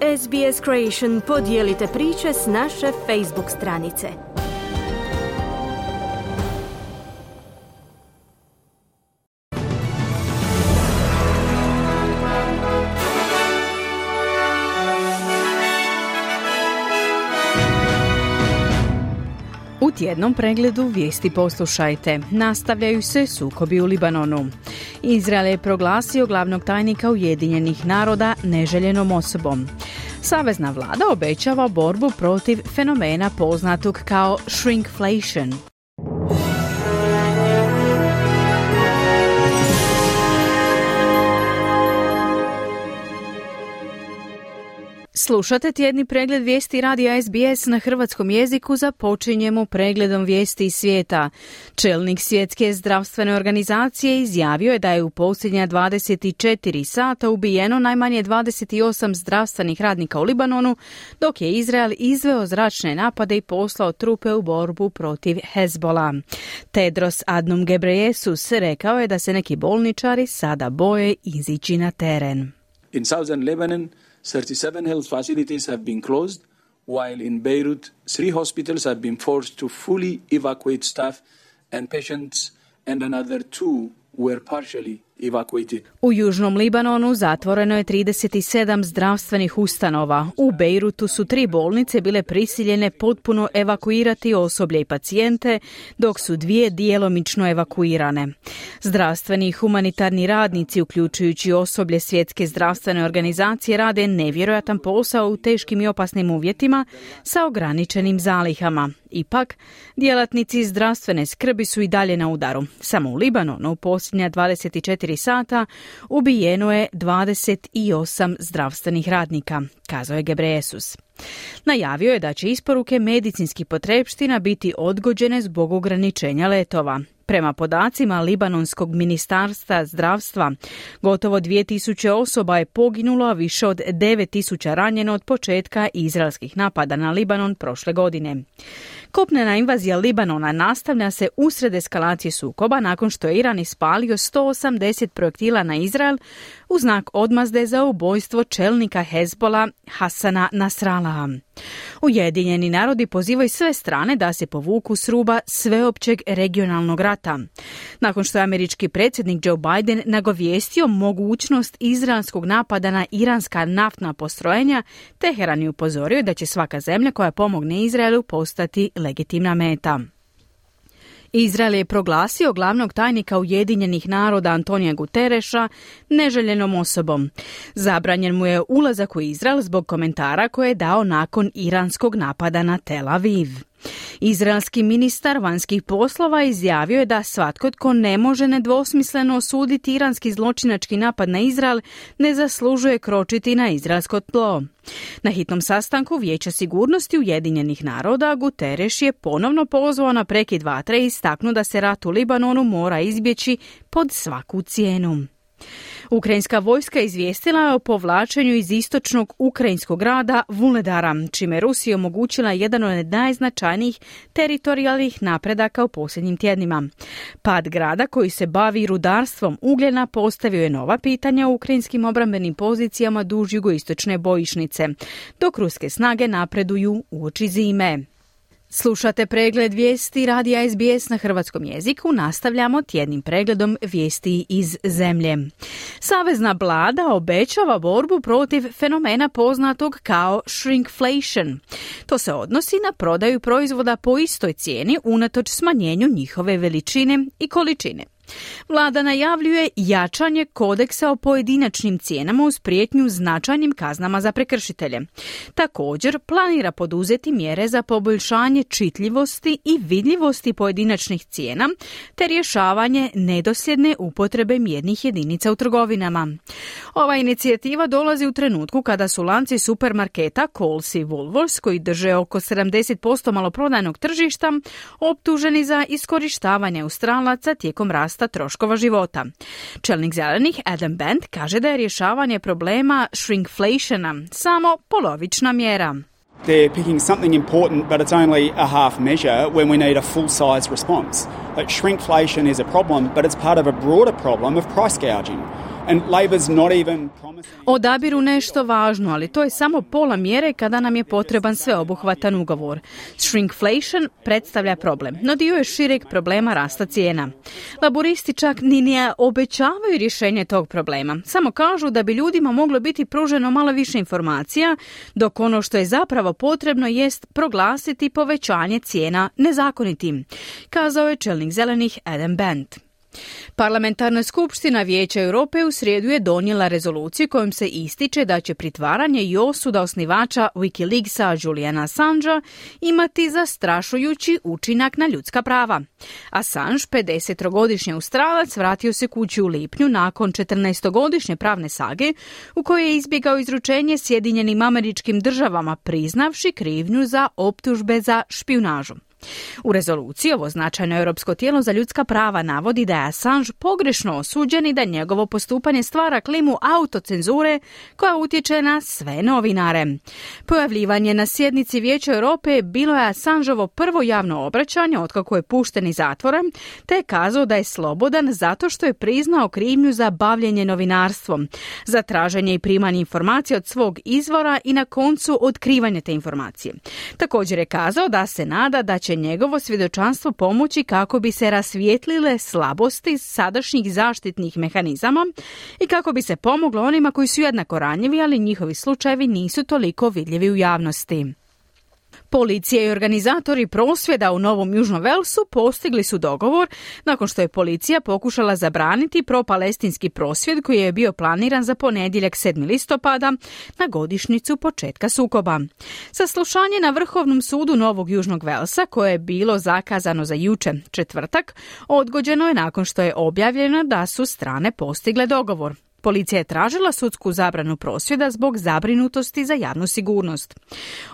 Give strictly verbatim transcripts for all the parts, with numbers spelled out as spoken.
S B S Creation podijelite priče s naše Facebook stranice. U tjednom pregledu vijesti poslušajte. Nastavljaju se sukobi u Libanonu. Izrael je proglasio glavnog tajnika Ujedinjenih naroda neželjenom osobom. Savezna vlada obećava borbu protiv fenomena poznatog kao shrinkflation. Slušate tjedni pregled vijesti radija S B S na hrvatskom jeziku. Započinjemo pregledom vijesti iz svijeta. Čelnik Svjetske zdravstvene organizacije izjavio je da je u posljednja dvadeset četiri sata ubijeno najmanje dvadeset osam zdravstvenih radnika u Libanonu, dok je Izrael izveo zračne napade i poslao trupe u borbu protiv Hezbola. Tedros Adhanom Ghebreyesus rekao je da se neki bolničari sada boje izići na teren. In southern Lebanon, thirty-seven health facilities have been closed, while in Beirut, three hospitals have been forced to fully evacuate staff and patients, and another two were partially evacuated. U južnom Libanonu zatvoreno je trideset sedam zdravstvenih ustanova. U Bejrutu su tri bolnice bile prisiljene potpuno evakuirati osoblje i pacijente, dok su dvije djelomično evakuirane. Zdravstveni i humanitarni radnici, uključujući osoblje Svjetske zdravstvene organizacije, rade nevjerojatan posao u teškim i opasnim uvjetima sa ograničenim zalihama. Ipak, djelatnici zdravstvene skrbi su i dalje na udaru. Samo u Libanonu u posljednja dvadeset četiri sata ubijeno je dvadeset osam zdravstvenih radnika, kazao je Ghebreyesus. Najavio je da će isporuke medicinskih potrepština biti odgođene zbog ograničenja letova. Prema podacima Libanonskog ministarstva zdravstva, gotovo dvije tisuće osoba je poginulo, a više od devet tisuća ranjeno od početka izraelskih napada na Libanon prošle godine. Kopnena invazija Libanona nastavlja se usred eskalacije sukoba nakon što je Iran ispalio sto osamdeset projektila na Izrael u znak odmazde za ubojstvo čelnika Hezbola Hasana Nasrallaha. Ujedinjeni narodi pozivaju sve strane da se povuku s ruba sveopćeg regionalnog rata. Nakon što je američki predsjednik Joe Biden nagovijestio mogućnost izraelskog napada na iranska naftna postrojenja, Teheran je upozorio da će svaka zemlja koja pomogne Izraelu postati legitimna meta. Izrael je proglasio glavnog tajnika Ujedinjenih naroda Antonija Gutereša neželjenom osobom. Zabranjen mu je ulazak u Izrael zbog komentara koje je dao nakon iranskog napada na Tel Aviv. Izraelski ministar vanjskih poslova izjavio je da svatko tko ne može nedvosmisleno osuditi iranski zločinački napad na Izrael ne zaslužuje kročiti na izraelsko tlo. Na hitnom sastanku Vijeća sigurnosti Ujedinjenih naroda Guterres je ponovno pozvao na prekid vatre i istaknuo da se rat u Libanonu mora izbjeći pod svaku cijenu. Ukrajinska vojska izvijestila je o povlačenju iz istočnog ukrajinskog grada Vuledara, čime Rusija omogućila jedan od najznačajnijih teritorijalnih napredaka u posljednjim tjednima. Pad grada koji se bavi rudarstvom ugljena postavio je nova pitanja u ukrajinskim obrambenim pozicijama duž jugoistočne bojišnice, dok ruske snage napreduju uoči zime. Slušate pregled vijesti radija S B S na hrvatskom jeziku. Nastavljamo tjednim pregledom vijesti iz zemlje. Savezna vlada obećava borbu protiv fenomena poznatog kao shrinkflation. To se odnosi na prodaju proizvoda po istoj cijeni unatoč smanjenju njihove veličine i količine. Vlada najavljuje jačanje kodeksa o pojedinačnim cijenama uz prijetnju značajnim kaznama za prekršitelje. Također planira poduzeti mjere za poboljšanje čitljivosti i vidljivosti pojedinačnih cijena te rješavanje nedosljedne upotrebe mjernih jedinica u trgovinama. Ova inicijativa dolazi u trenutku kada su lanci supermarketa Coles i Woolworths, koji drže oko sedamdeset posto maloprodajnog tržišta, optuženi za iskorištavanje Australaca tijekom rasta troškova života. Čelnik zelenih Adam Bent kaže da je rješavanje problema shrinkflationa samo polovična mjera. They're picking something important, but it's only a half measure when we need a full-size response. Like shrinkflation is a problem, but it's part of a broader problem of price gouging. And Labor's not even promising... Odabiru nešto važno, ali to je samo pola mjere kada nam je potreban sveobuhvatan ugovor. Shrinkflation predstavlja problem, no dio je šireg problema rasta cijena. Laboristi čak ni ne obećavaju rješenje tog problema. Samo kažu da bi ljudima moglo biti pruženo malo više informacija, dok ono što je zapravo potrebno jest proglasiti povećanje cijena nezakonitim, kazao je čelnik zelenih Adam Bent. Parlamentarna skupština Vijeća Europe u srijedu je donijela rezoluciju kojom se ističe da će pritvaranje i osuda osnivača Wikileaksa Juliana Assangea imati zastrašujući učinak na ljudska prava. Assange, pedesetogodišnji Australac, vratio se kući u lipnju nakon četrnaestogodišnje pravne sage u kojoj je izbjegao izručenje Sjedinjenim Američkim Državama, priznavši krivnju za optužbe za špijunažu. U rezoluciji ovo značajno europsko tijelo za ljudska prava navodi da je Assange pogrešno osuđen i da njegovo postupanje stvara klimu autocenzure koja utječe na sve novinare. Pojavljivanje na sjednici Vijeća Europe bilo je Assangeovo prvo javno obraćanje otkako je pušten iz zatvora, te je kazao da je slobodan zato što je priznao krivnju za bavljenje novinarstvom, za traženje i primanje informacija od svog izvora i na koncu otkrivanje te informacije. Također je kazao da se nada da će njegovo svjedočanstvo pomoći kako bi se rasvijetlile slabosti sadašnjih zaštitnih mehanizama i kako bi se pomoglo onima koji su jednako ranjivi, ali njihovi slučajevi nisu toliko vidljivi u javnosti. Policija i organizatori prosvjeda u Novom Južnom Velsu postigli su dogovor nakon što je policija pokušala zabraniti propalestinski prosvjed koji je bio planiran za ponedjeljak sedmog listopada na godišnjicu početka sukoba. Saslušanje na Vrhovnom sudu Novog Južnog Velsa, koje je bilo zakazano za jučer, četvrtak, odgođeno je nakon što je objavljeno da su strane postigle dogovor. Policija je tražila sudsku zabranu prosvjeda zbog zabrinutosti za javnu sigurnost.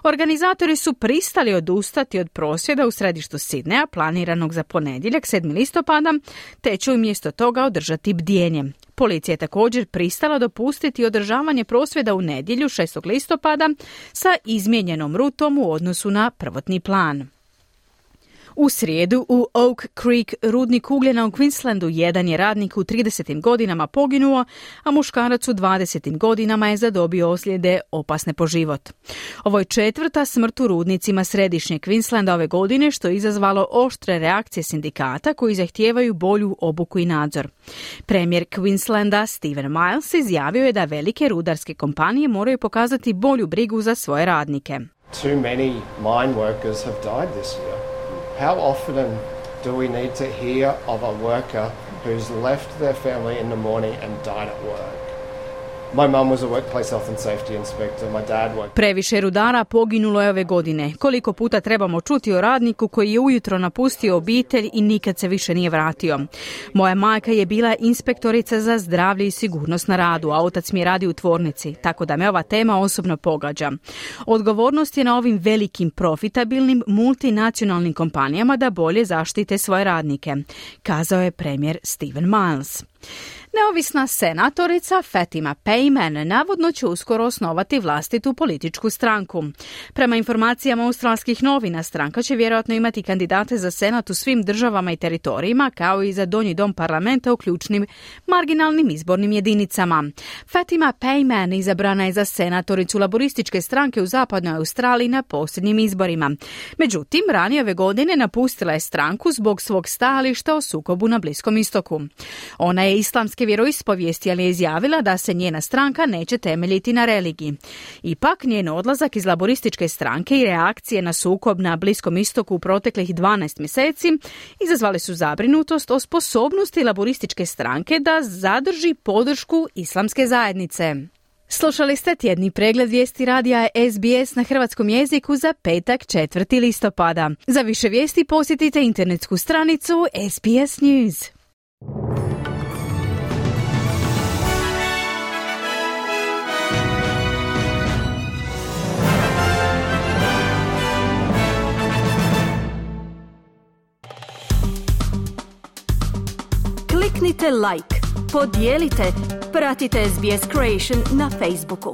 Organizatori su pristali odustati od prosvjeda u središtu Sidneja, planiranog za ponedjeljak sedmog listopada, te će umjesto toga održati bdjenje. Policija je također pristala dopustiti održavanje prosvjeda u nedjelju šestog listopada sa izmijenjenom rutom u odnosu na prvotni plan. U srijedu u Oak Creek rudnik ugljena u Queenslandu jedan je radnik u tridesetim godinama poginuo, a muškarac u dvadesetim godinama je zadobio ozljede opasne po život. Ovo je četvrta smrt u rudnicima središnjeg Queenslanda ove godine, što je izazvalo oštre reakcije sindikata koji zahtijevaju bolju obuku i nadzor. Premijer Queenslanda Stephen Miles izjavio je da velike rudarske kompanije moraju pokazati bolju brigu za svoje radnike. Too many mine workers have died this year. How often do we need to hear of a worker who's left their family in the morning and died at work? My mum was a workplace health and safety inspector. My dad worked... Previše rudara poginulo je ove godine. Koliko puta trebamo čuti o radniku koji je ujutro napustio obitelj i nikad se više nije vratio. Moja majka je bila inspektorica za zdravlje i sigurnost na radu, a otac mi je radio u tvornici, tako da me ova tema osobno pogađa. Odgovornost je na ovim velikim profitabilnim multinacionalnim kompanijama da bolje zaštite svoje radnike, kazao je premijer Stephen Miles. Neovisna senatorica Fatima Payman navodno će uskoro osnovati vlastitu političku stranku. Prema informacijama australskih novina, stranka će vjerojatno imati kandidate za senat u svim državama i teritorijima, kao i za donji dom parlamenta u ključnim marginalnim izbornim jedinicama. Fatima Payman izabrana je za senatoricu laborističke stranke u zapadnoj Australiji na posljednjim izborima. Međutim, ranije ove godine napustila je stranku zbog svog stajališta o sukobu na Bliskom istoku. Ona je islamski vjeroispovijesti, ali je izjavila da se njena stranka neće temeljiti na religiji. Ipak, njen odlazak iz laborističke stranke i reakcije na sukob na Bliskom istoku u proteklih dvanaest mjeseci izazvali su zabrinutost o sposobnosti laborističke stranke da zadrži podršku islamske zajednice. Slušali ste tjedni pregled vijesti radija S B S na hrvatskom jeziku za petak četvrtog listopada. Za više vijesti posjetite internetsku stranicu S B S News. Kliknite like, podijelite, pratite S B S Creation na Facebooku.